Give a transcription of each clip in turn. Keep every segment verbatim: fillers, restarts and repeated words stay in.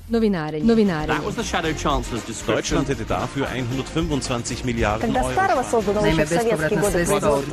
Novinarenje. Novinarenje. That was the Shadow Chancellor's description. Deutschland hätte dafür hundertfünfundzwanzig Milliarden Euro. Naime, bespovratna sredstva od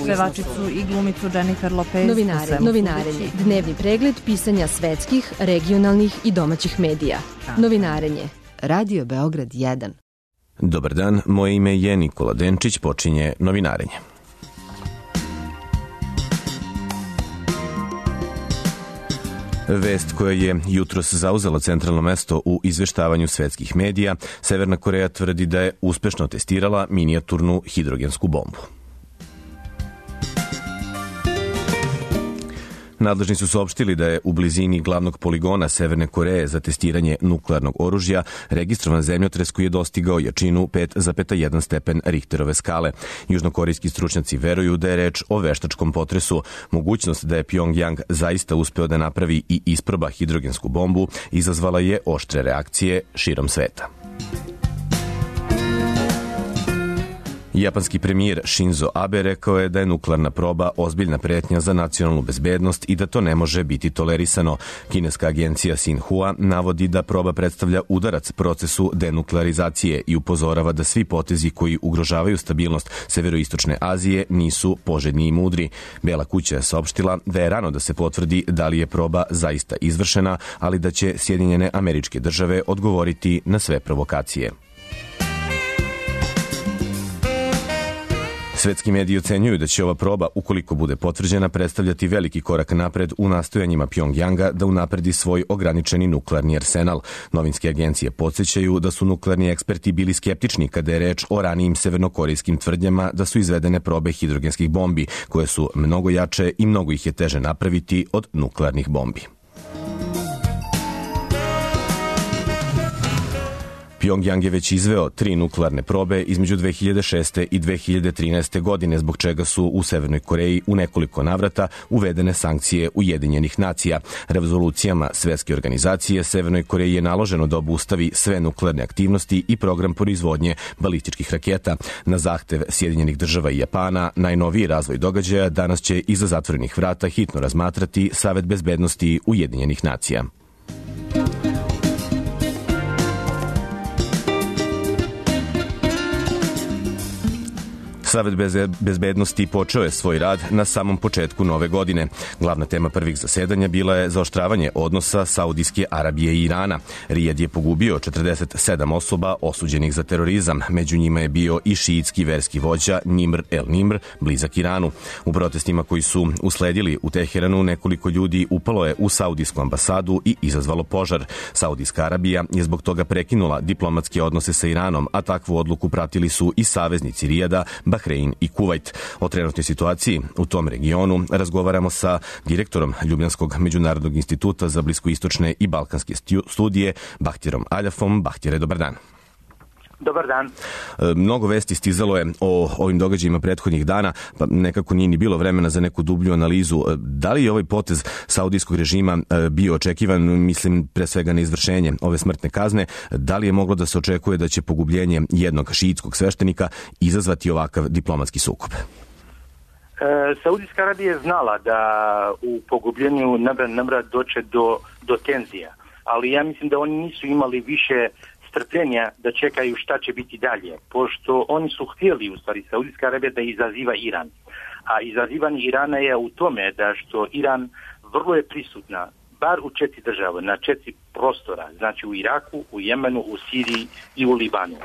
pevačicu i glumicu Jennifer Lopez. Novinarenje. Novinarenje. Dnevni pregled pisanja svetskih, regionalnih i domaćih medija. Novinarenje. Radio Beograd jedan. Dobar dan, moje ime je Nikola Denčić, počinje Novinarenje. Vest koja je jutros zauzela centralno mesto u izveštavanju svetskih medija, Severna Koreja tvrdi da je uspešno testirala minijaturnu hidrogensku bombu. Nadležni su saopštili da je u blizini glavnog poligona Severne Koreje za testiranje nuklearnog oružja registrovan zemljotres koji je dostigao jačinu pet zarez jedan stepen Richterove skale. Južnokorejski stručnjaci veruju da je reč o veštačkom potresu. Mogućnost da je Pjongjang zaista uspeo da napravi i isproba hidrogensku bombu izazvala je oštre reakcije širom sveta. Japanski premijer Shinzo Abe rekao je da je nuklearna proba ozbiljna pretnja za nacionalnu bezbednost i da to ne može biti tolerisano. Kineska agencija Xinhua navodi da proba predstavlja udarac procesu denuklearizacije i upozorava da svi potezi koji ugrožavaju stabilnost severoistočne Azije nisu poželjni i mudri. Bela kuća je saopštila da je rano da se potvrdi da li je proba zaista izvršena, ali da će Sjedinjene Američke Države odgovoriti na sve provokacije. Svetski mediji ocenjuju da će ova proba, ukoliko bude potvrđena, predstavljati veliki korak napred u nastojanjima Pjongjanga da unapredi svoj ograničeni nuklearni arsenal. Novinske agencije podsjećaju da su nuklearni eksperti bili skeptični kada je reč o ranijim severnokorejskim tvrdnjama da su izvedene probe hidrogenskih bombi, koje su mnogo jače i mnogo ih je teže napraviti od nuklearnih bombi. Pjongjang je već izveo tri nuklearne probe između dve hiljade šeste i dve hiljade trinaeste. godine, zbog čega su u Severnoj Koreji u nekoliko navrata uvedene sankcije Ujedinjenih nacija. Rezolucijama Svetske organizacije Severnoj Koreji je naloženo da obustavi sve nuklearne aktivnosti i program proizvodnje balističkih raketa. Na zahtev Sjedinjenih Država i Japana, najnoviji razvoj događaja danas će iza zatvorenih vrata hitno razmatrati Savet bezbednosti Ujedinjenih nacija. Savet bezbednosti počeo je svoj rad na samom početku nove godine. Glavna tema prvih zasedanja bila je zaoštravanje odnosa Saudijske Arabije i Irana. Rijad je pogubio četrdeset sedam osoba osuđenih za terorizam. Među njima je bio i šiitski verski vođa Nimr el-Nimr, blizak Iranu. U protestima koji su usledili u Teheranu, nekoliko ljudi upalo je u saudijsku ambasadu i izazvalo požar. Saudijska Arabija je zbog toga prekinula diplomatske odnose sa Iranom, a takvu odluku pratili su i saveznici Rijada, Bahrein i Kuvajt. O trenutnoj situaciji u tom regionu razgovaramo sa direktorom Ljubljanskog međunarodnog instituta za bliskoistočne i balkanske studije, Bahtjerom Aljafom. Bahtjere, dobar dan. Dobar dan. Mnogo vesti stizalo je o ovim događajima prethodnih dana, pa nekako nije ni bilo vremena za neku dublju analizu. Da li je ovaj potez saudijskog režima bio očekivan, mislim pre svega na izvršenje ove smrtne kazne? Da li je moglo da se očekuje da će pogubljenje jednog šiitskog sveštenika izazvati ovakav diplomatski sukob? E, Saudijska Arabija je znala da u pogubljenju Nimra doće do, do tenzija, ali ja mislim da oni nisu imali više strpljenja da čekaju šta će biti dalje, pošto oni su htjeli, u stvari, Saudijska Arabija da izaziva Iran. A izazivanje Irana je u tome da što Iran vrlo je prisutna, bar u četiri države, na četiri prostora, znači u Iraku, u Jemenu, u Siriji i u Libanu.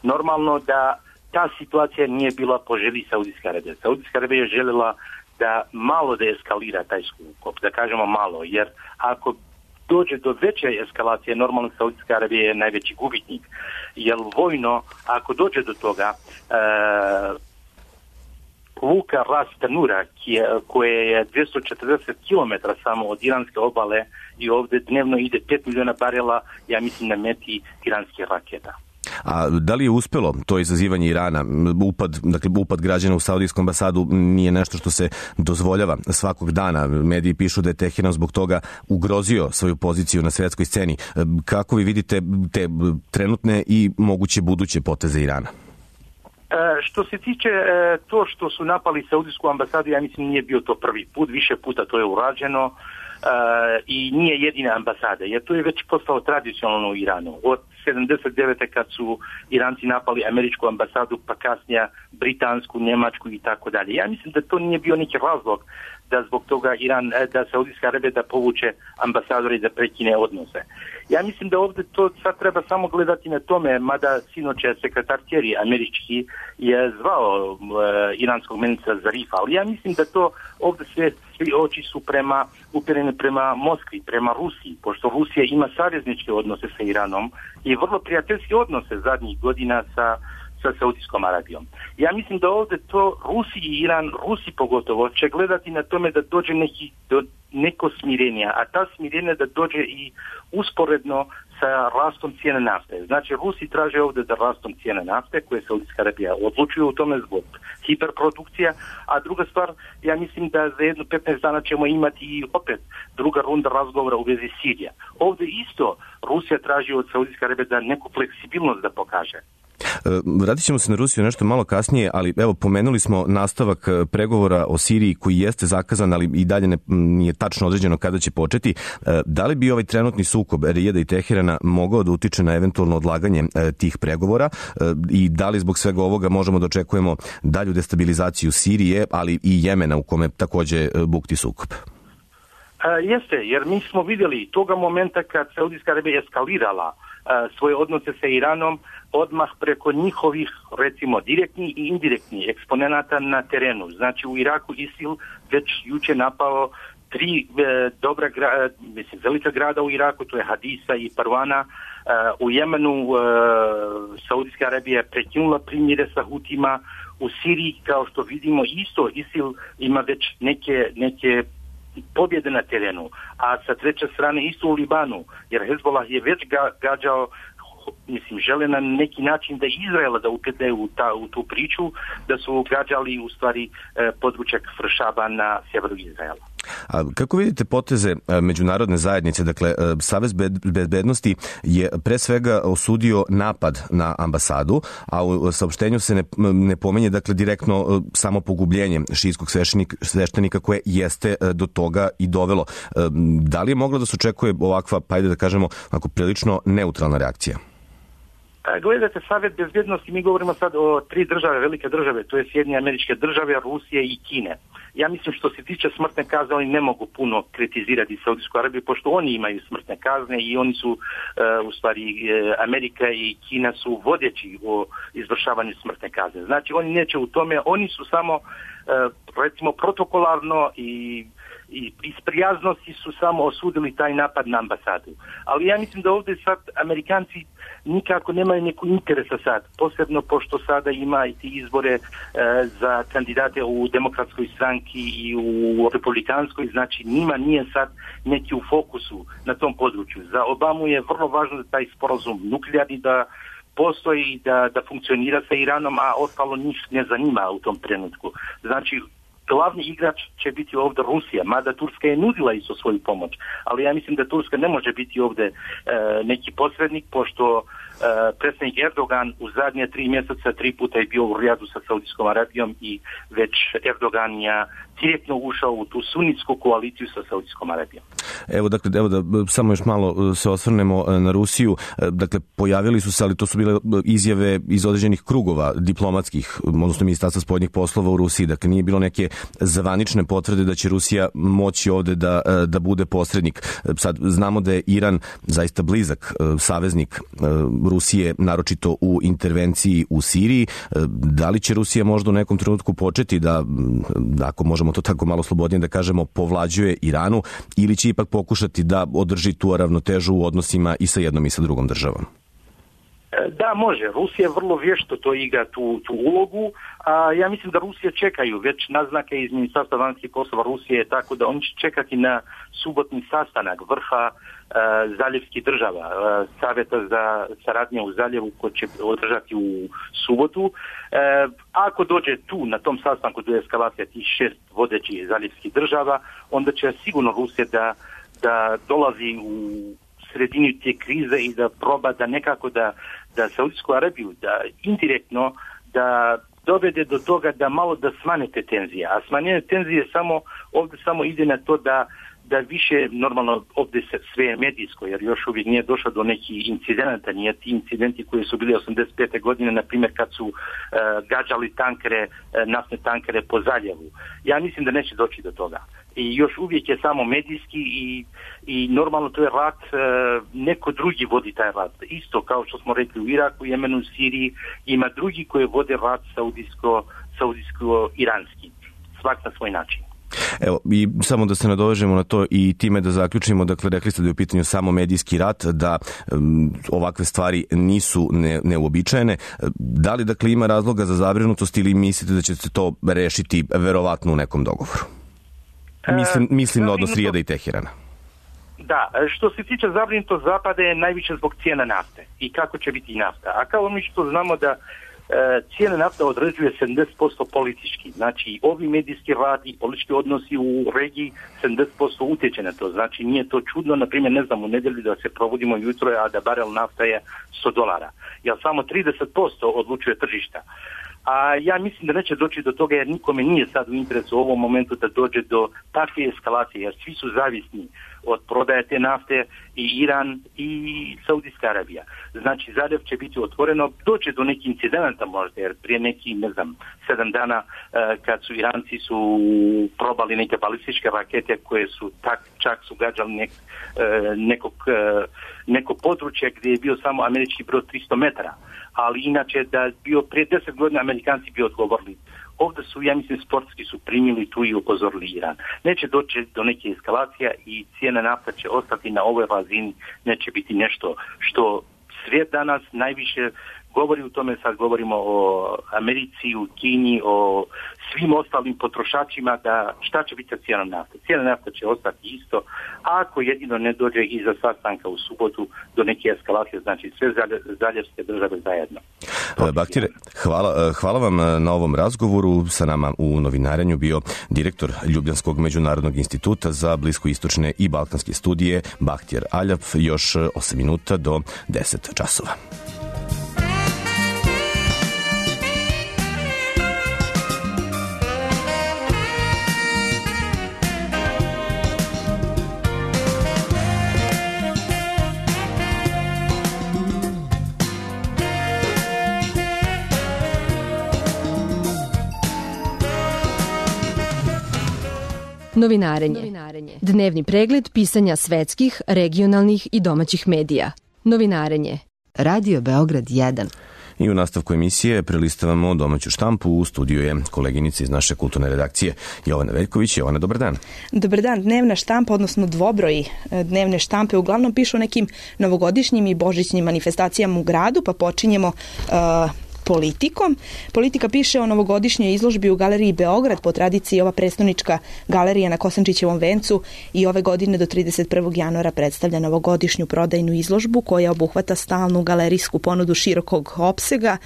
Normalno da ta situacija nije bila po želji Saudijska Arabija. Saudijska Arabija je željela da malo da eskalira taj sukob, da kažemo malo, jer ako dođe do veće eskalacije, normalno Saudijska Arabija je najveći gubitnik. Jer vojno, ako dođe do toga, e, luka Ras Tanura, koje je dvjesto četrdeset kilometara samo od iranske obale i ovdje dnevno ide pet miliona barela, ja mislim, na meti iranskih raketa. A da li je uspelo to izazivanje Irana? Upad, dakle, upad građana u Saudijsku ambasadu nije nešto što se dozvoljava svakog dana. Mediji pišu da je Teheran zbog toga ugrozio svoju poziciju na svjetskoj sceni. Kako vi vidite te trenutne i moguće buduće poteze Irana? E, što se tiče e, to što su napali Saudijsku ambasadu, ja mislim nije bio to prvi put, više puta to je urađeno. i nije jedina ambasada, jer to je već postalo tradicionalno u Iranu. Od sedamdeset devete kad su Iranci napali američku ambasadu, pa kasnije britansku, njemačku i tako dalje. Ja mislim da to nije bio neki razlog da zbog toga Iran, da Saudijska Arabija da povuče ambasadore i da prekine odnose. Ja mislim da ovdje to sad treba samo gledati na tome, mada sinoć je sekretar Kerry američki je zvao uh, iranskog ministra Zarifa, ali ja mislim da to ovdje sve, svi oči su prema, upirene prema Moskvi, prema Rusiji, pošto Rusija ima savezničke odnose sa Iranom i vrlo prijateljske odnose zadnjih godina sa sa Saudijskom Arabijom. Ja mislim da ovdje to Rusi i Iran, Rusi pogotovo, će gledati na tome da dođe neki, do neko smirenja, a ta smirenja da dođe i usporedno sa rastom cijene nafte. Znači, Rusi traže ovdje da rastom cijene nafte, koje Saudijska Arabija odlučuje u tome zbog hiperprodukcija, a druga stvar, ja mislim da za jedno petnaest dana ćemo imati i opet druga runda razgovora u vezi Sirija. Ovdje isto Rusija traži od Saudijske Arabije da neku fleksibilnost da pokaže. Vratit ćemo se na Rusiju nešto malo kasnije, ali evo pomenuli smo nastavak pregovora o Siriji koji jeste zakazan, ali i dalje ne, nije tačno određeno kada će početi. Da li bi ovaj trenutni sukob Rijada i Teherana mogao da utiče na eventualno odlaganje tih pregovora i da li zbog svega ovoga možemo da očekujemo dalju destabilizaciju Sirije, ali i Jemena u kome takođe bukti sukob? A, jeste, jer mi smo vidjeli toga momenta kad Saudijska Arabija eskalirala a, svoje odnose sa Iranom, odmah preko njihovih, recimo, direktnih i indirektnih eksponenata na terenu. Znači, u Iraku ISIL već juče napao tri e, dobra gra, mislim, velika grada u Iraku, to je Hadisa i Parvana. E, u Jemenu e, Saudijska Arabija je prekinula primjere sa Hutima. U Siriji, kao što vidimo, isto ISIL ima već neke, neke pobjede na terenu, a sa treće strane isto u Libanu, jer Hezbollah je već ga, gađao, mislim, žele na neki način da Izraela da upete u, ta, u tu priču, da su gađali u stvari eh, područja Kfršaba na sjeveru Izraela. A kako vidite poteze međunarodne zajednice? Dakle, Savez bezbednosti je pre svega osudio napad na ambasadu, a u saopštenju se ne, ne pomenje dakle direktno samo pogubljenje šijskog sveštenika, sveštenika koje jeste do toga i dovelo. Da li je moglo da se očekuje ovakva, pa ajde da kažemo, ako prilično neutralna reakcija? Gledajte, Savjet bezbednosti, mi govorimo sad o tri države, velike države, to je Sjedinjene Američke Države, Rusije i Kine. Ja mislim što se tiče smrtne kazne, oni ne mogu puno kritizirati Saudijsku Arabiju, pošto oni imaju smrtne kazne i oni su, uh, u stvari, uh, Amerika i Kina su vodeći o izvršavanju smrtne kazne. Znači, oni neće u tome, oni su samo, uh, recimo, protokolarno i i iz prijaznosti su samo osudili taj napad na ambasadu. Ali ja mislim da ovdje sad Amerikanci nikako nemaju neku interesa sad, posebno pošto sada ima i ti izbore e, za kandidate u demokratskoj stranki i u republikanskoj, znači njima nije sad neki u fokusu na tom području. Za Obamu je vrlo važno da taj sporazum nuklearni da postoji i da, da funkcionira sa Iranom, a ostalo njih ne zanima u tom trenutku. Znači, glavni igrač će biti ovdje Rusija, mada Turska je nudila isto svoju pomoć, ali ja mislim da Turska ne može biti ovdje e, neki posrednik, pošto e, predsjednik Erdogan u zadnje tri mjeseca tri puta je bio u Rijadu sa Saudijskom Arabijom i već Erdogan je direktno ušao u tu sunitsku koaliciju sa Saudijskom Arabijom. Evo, dakle, evo da samo još malo se osvrnemo na Rusiju. Dakle, pojavili su se, ali to su bile izjave iz određenih krugova diplomatskih, odnosno Ministarstva spoljnih poslova u Rusiji. Dakle, nije bilo neke zvanične potvrde da će Rusija moći ovde da, da bude posrednik. Sad, znamo da je Iran zaista blizak saveznik Rusije, naročito u intervenciji u Siriji. Da li će Rusija možda u nekom trenutku početi da, ako možemo to tako malo slobodnije da kažemo, povlađuje Iranu, ili će ipak pokušati da održi tu ravnotežu u odnosima i sa jednom i sa drugom državom? Da, može. Rusija vrlo vješto to igra tu, tu ulogu, a ja mislim da Rusija čekaju već naznake iz Ministarstva vanjskih poslova Rusije, tako da oni će čekati na subotni sastanak vrha uh, zaljevskih država, uh, savjeta za saradnje u zaljevu koji će održati u subotu. Uh, ako dođe tu na tom sastanku do eskalacija tih šest vodećih zaljevskih država, onda će sigurno Rusija da, da dolazi u sredini te krize i da proba da nekako da, da Saudijsku Arabiju, da indirektno da dovede do toga da malo da smanje te tenzije. A smanjenje tenzije samo, ovdje samo ide na to da, da više, normalno ovdje se sve je medijsko, jer još uvijek nije došlo do nekih incidenata, nije ti incidenti koji su bili osamdeset pete godine, na primjer kad su uh, gađali tankere, uh, naftne tankere po zaljevu. Ja mislim da neće doći do toga. I još uvijek je samo medijski i, i normalno to je rat, uh, neko drugi vodi taj rat. Isto kao što smo rekli u Iraku, Jemenu, Siriji, ima drugi koji vode rat saudijsko, saudijsko-iranski. Svak na svoj način. Evo, i samo da se nadovežemo na to i time da zaključimo, dakle, rekli ste da je u pitanju samo medijski rat, da um, ovakve stvari nisu ne, neuobičajene. Da li, dakle, ima razloga za zabrinutost ili mislite da će se to rešiti verovatno u nekom dogovoru? Mislim, mislim na odnos Rijada i Teherana. Da, što se tiče zabrinutost Zapada je najviše zbog cijena nafte i kako će biti nafta. A kao mi što znamo da cijena nafta određuje sedamdeset posto politički. Znači, ovi medijski rad i politički odnosi u regiji sedamdeset posto utječe na to. Znači, nije to čudno, na primjer, ne znam, u nedjelju da se provodimo jutro, a da barel nafta je sto dolara. Jer samo trideset posto odlučuje tržišta. A ja mislim da neće doći do toga jer nikome nije sad u interesu u ovom momentu da dođe do takve eskalacije, jer svi su zavisni od prodaje te nafte i Iran i Saudijska Arabija. Znači, zaljev će biti otvoreno, doće do nekih incidenata možda, jer prije neki, ne znam, sedam dana kad su Iranci su probali neke balističke rakete koje su tak, čak su gađali nek, nekog, neko područje gdje je bio samo američki brod tristo metara. Ali inače da bio prije deset godina Amerikanci bi odgovorili. Ovdje su, ja mislim, sportski su primili tu i upozorili Iran. Neće doći do neke eskalacija i cijena nafta će ostati na ovoj razini, neće biti nešto što svijet danas najviše govori u tome, sad govorimo o Americi, u Kini, o svim ostalim potrošačima, da šta će biti sa cijenom nafte. Cijena nafta će ostati isto, a ako jedino ne dođe iza sastanka u subotu do neke eskalacije, znači sve zaljevske države zajedno. Baktire, hvala, hvala vam na ovom razgovoru. Sa nama u novinarenju bio direktor Ljubljanskog međunarodnog instituta za bliskoistočne i balkanske studije Bahtjer Aljap. Još osam minuta do deset časova. Novinarenje. Dnevni pregled pisanja svetskih, regionalnih i domaćih medija. Novinarenje. Radio Beograd jedan. I u nastavku emisije prelistavamo domaću štampu. U studiju je koleginica iz naše kulturne redakcije Jovana Veljković. Jovana, dobar dan. Dobar dan. Dnevna štampa, odnosno dvobroji dnevne štampe, uglavnom pišu o nekim novogodišnjim i božićnim manifestacijama u gradu, pa počinjemo uh, politikom. Politika piše o novogodišnjoj izložbi u Galeriji Beograd, po tradiciji ova prestonička galerija na Kosančićevom vencu i ove godine do trideset prvog januara predstavlja novogodišnju prodajnu izložbu koja obuhvata stalnu galerijsku ponudu širokog opsega.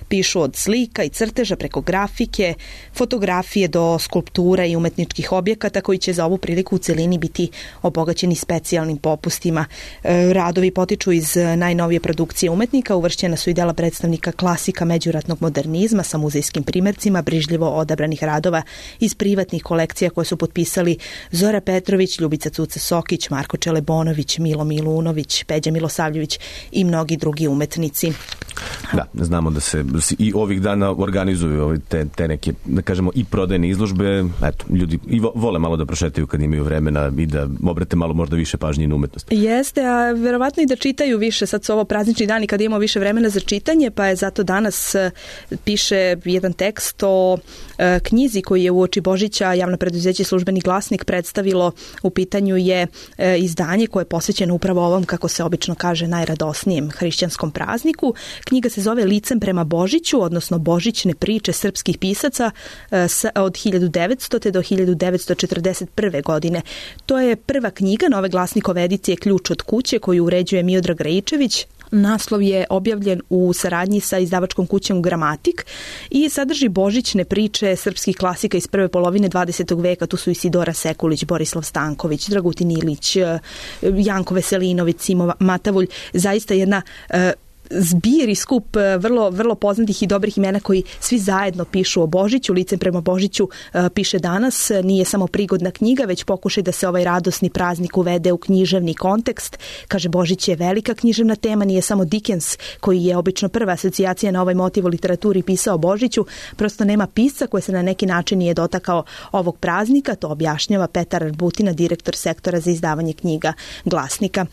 Pišu od slika i crteža preko grafike, fotografije do skulptura i umetničkih objekata koji će za ovu priliku u celini biti obogaćeni specijalnim popustima. Radovi potiču iz najnovije produkcije umetnika, uvršćena su i dela predstavnika klasika međuratnog modernizma sa muzejskim primercima brižljivo odabranih radova iz privatnih kolekcija koje su potpisali Zora Petrović, Ljubica Cuca Sokić, Marko Čelebonović, Milo Milunović, Peđa Milosavljević i mnogi drugi umetnici. Da, znamo da se i ovih dana organizuju te, te neke, da kažemo, i prodajne izložbe. Eto, ljudi i vole malo da prošetaju kad imaju vremena i da obrate malo možda više pažnje na umetnost. Jeste, a verovatno i da čitaju više. Sad su ovo praznični dani kada imamo više vremena za čitanje, pa je zato danas piše jedan tekst o e, knjizi koji je uoči Božića javno preduzeće Službeni glasnik predstavilo. U pitanju je e, izdanje koje je posvećeno upravo ovom, kako se obično kaže, najradosnijem hrišćanskom prazniku. Knjiga se zove Licem prema Božiću, odnosno Božićne priče srpskih pisaca e, s, od hiljadu devetstote do hiljadu devetsto četrdeset prve godine. To je prva knjiga nove glasnikove edicije Ključ od kuće koju uređuje Miodrag Rajičević. Naslov je objavljen u saradnji sa izdavačkom kućom Gramatik i sadrži božićne priče srpskih klasika iz prve polovine dvadesetog veka. Tu su Isidora Sekulić, Borislav Stanković, Dragutin Ilić, Janko Veselinović, Simo Matavulj. Zaista jedna uh, zbir i skup vrlo, vrlo poznatih i dobrih imena koji svi zajedno pišu o Božiću. Licem prema Božiću piše danas, nije samo prigodna knjiga, već pokušaj da se ovaj radosni praznik uvede u književni kontekst. Kaže, Božić je velika književna tema, nije samo Dickens, koji je obično prva asocijacija na ovaj motiv u literaturi pisao o Božiću, prosto nema pisca koji se na neki način nije dotakao ovog praznika, to objašnjava Petar Arbutina, direktor sektora za izdavanje knjiga Glasnika.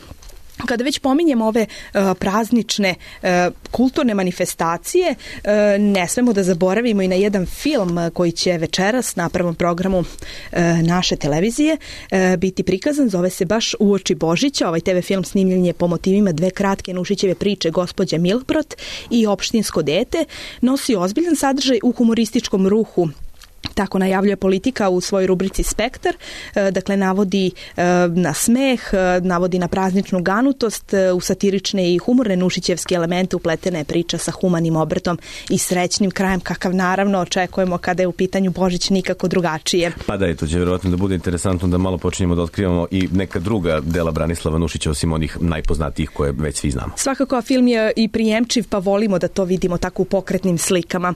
Kada već pominjemo ove uh, praznične uh, kulturne manifestacije, uh, ne smemo da zaboravimo i na jedan film koji će večeras na prvom programu uh, naše televizije uh, biti prikazan, zove se baš Uoči Božića. Ovaj te ve film snimljen je po motivima dve kratke Nušićeve priče Gospođa Milprot i Opštinsko dete, nosi ozbiljan sadržaj u humorističkom ruhu. Tako najavljuje Politika u svojoj rubrici Spektar, dakle navodi na smeh, navodi na prazničnu ganutost, u satirične i humorne nušićevske elemente upletena je priča sa humanim obrtom i srećnim krajem, kakav naravno očekujemo kada je u pitanju Božić nikako drugačije. Pa da, to će vjerovatno da bude interesantno da malo počinjemo da otkrivamo i neka druga dela Branislava Nušića osim onih najpoznatijih koje već svi znamo. Svakako, a film je i prijemčiv, pa volimo da to vidimo tako u pokretnim slikama.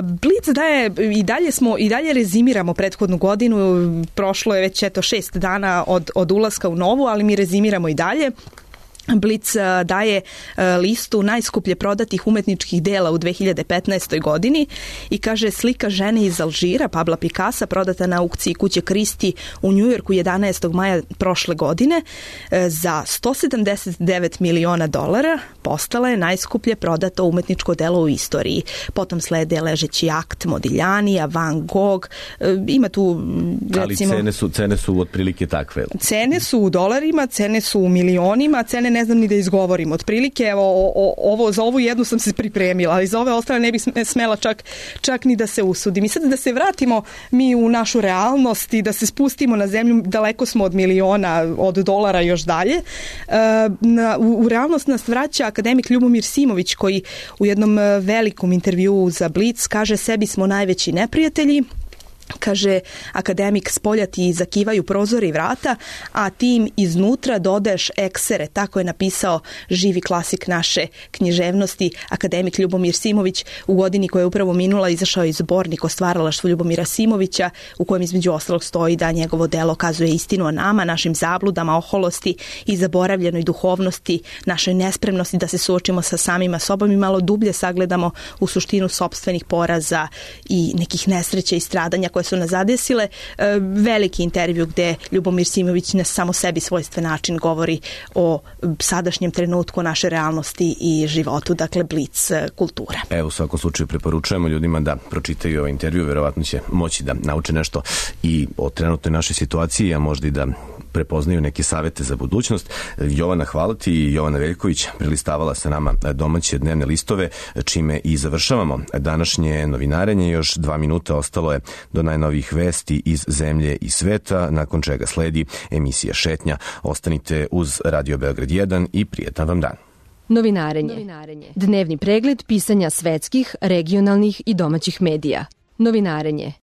Blic daje, i dalje smo i dalje rezimiramo prethodnu godinu, prošlo je već eto šest dana od, od ulaska u novu, ali mi rezimiramo i dalje. Blic daje listu najskuplje prodatih umetničkih dela u dve hiljade petnaestoj godini i kaže, slika žene iz Alžira, Pabla Picassa, prodata na aukciji kuće Kristi u Njujorku jedanaestog maja prošle godine za sto sedamdeset devet miliona dolara, postala je najskuplje prodato umetničko delo u istoriji. Potom slede Ležeći akt Modiglianija, Van Gogh, ima tu recimo... Ali cene su, cene su otprilike takve. Cene su u dolarima, cene su u milionima, cene ne znam ni da izgovorim. Otprilike, evo, o, ovo, za ovu jednu sam se pripremila, ali za ove ostale ne bih smela čak, čak ni da se usudim. I sad da se vratimo mi u našu realnost i da se spustimo na zemlju, daleko smo od miliona, od dolara još dalje. Na, u, u realnost nas vraća akademik Ljubomir Simović, koji u jednom velikom intervjuu za Blic kaže, sebi smo najveći neprijatelji. Kaže, akademik, spolja ti zakivaju prozori i vrata, a tim iznutra dodaješ eksere. Tako je napisao živi klasik naše književnosti, akademik Ljubomir Simović. U godini koja je upravo minula izašao je zbornik o stvaralaštvu Ljubomira Simovića, u kojem između ostalog stoji da njegovo delo kazuje istinu o nama, našim zabludama, oholosti i zaboravljenoj duhovnosti, našoj nespremnosti da se suočimo sa samima sobom i malo dublje sagledamo u suštinu sopstvenih poraza i nekih nesreća i stradanja koje su nas zadesile. Veliki intervju gde Ljubomir Simović na samo sebi svojstven način govori o sadašnjem trenutku, naše realnosti i životu, dakle Blic kultura. Evo, u svakom slučaju preporučujemo ljudima da pročitaju ovaj intervju, verovatno će moći da nauče nešto i o trenutnoj našoj situaciji, a možda i da prepoznaju neke savete za budućnost. Jovana, hvala ti. Jovana Veljković prelistavala sa nama domaće dnevne listove, čime i završavamo današnje novinarenje. Još dva minuta ostalo je do najnovijih vesti iz zemlje i sveta, nakon čega sledi emisija Šetnja. Ostanite uz Radio Beograd jedan i prijetan vam dan. Novinarenje. Novinarenje. Dnevni pregled pisanja svetskih, regionalnih i domaćih medija. Novinarenje.